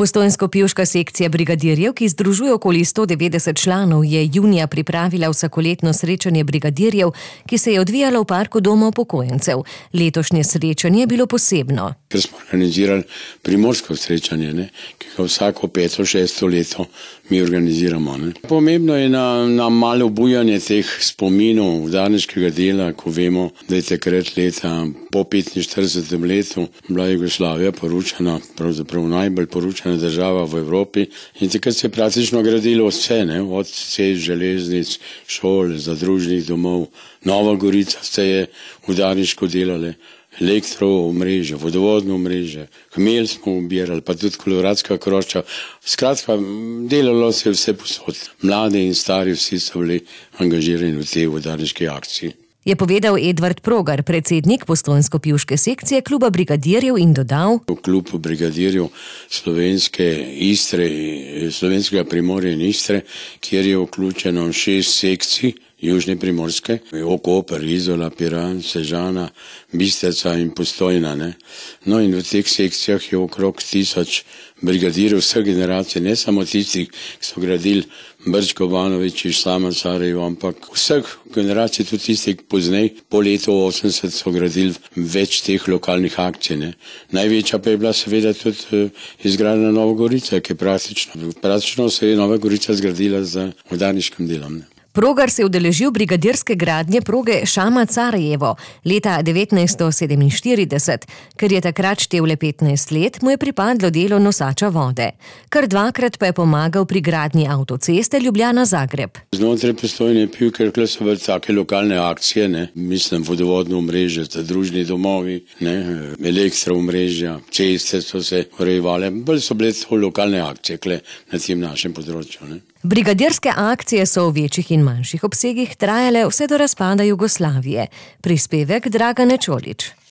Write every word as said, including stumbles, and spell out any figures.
Postojnsko-pivška sekcija brigadirjev, ki združuje okoli sto devetdeset članov, je junija pripravila vsakoletno srečanje brigadirjev, ki se je odvijalo v parku Doma upokojencev. Letošnje srečanje je bilo posebno. Ker smo organizirali primorsko srečanje, ne, ki ga vsako peto, šesto leto mi organiziramo. Ne. Pomembno je na, na malo obujanje teh spominov udarniškega dela, ko vemo, da je takrat leta po petinštiridesetem letu bila Jugoslavija poručena, pravzaprav najbolj poručena država v Evropi, in takrat se je praktično gradilo vse, ne, od cest, železnic, šol, zadružnih domov. Nova Gorica se je udarniško delale, elektro omrežje, vodovodno omrežje, hmelj smo ubirali, pa tudi koloradska krošča. Skratka, delalo se je vse posod. Mladi in stari vsi so bili angažirani v tej udarniški akciji. Je povedal Edvard Progar, predsednik Postojnsko-pivške sekcije kluba brigadirjev, in dodal: V klubu brigadirjev slovenske Istre, slovenskega Primorja in Istre, kjer je vključeno šest sekcij južne Primorske, Koper, Izola, Piran, Sežana, Bistrica in Postojna. Ne? No in v teh sekcijah je okrog tisoč brigadirjev vseh generacij, ne samo tistih, ki so gradili Brčko, Banović, Slama, Sarajevo, ampak vseh generacij, tudi tistih poznej, po letu osemdeset so gradili več teh lokalnih akcij. Ne? Največja pa je bila seveda tudi izgradnja Nova Gorica, ki je praktično, praktično se je Nova Gorica zgradila z udarniškim delom. Ne? Progar se je udeležil brigadirske gradnje proge Šama-Sarajevo leta devetnajststo sedeminštirideset. Ker je takrat štel le petnajst let, mu je pripadlo delo nosača vode. Kar dvakrat pa je pomagal pri gradnji avtoceste Ljubljana-Zagreb. Znotraj Postojne pivke so bile take lokalne akcije, ne? Mislim vodovodno omrežje, zadružni domovi, ne? Elektro omrežja, ceste so se urejevale, bolj so bile to lokalne akcije kle na tem našem področju. Ne? Brigadirske akcije so v večjih in manjših obsegih trajale vse do razpada Jugoslavije. Prispevek Dragane Čolić.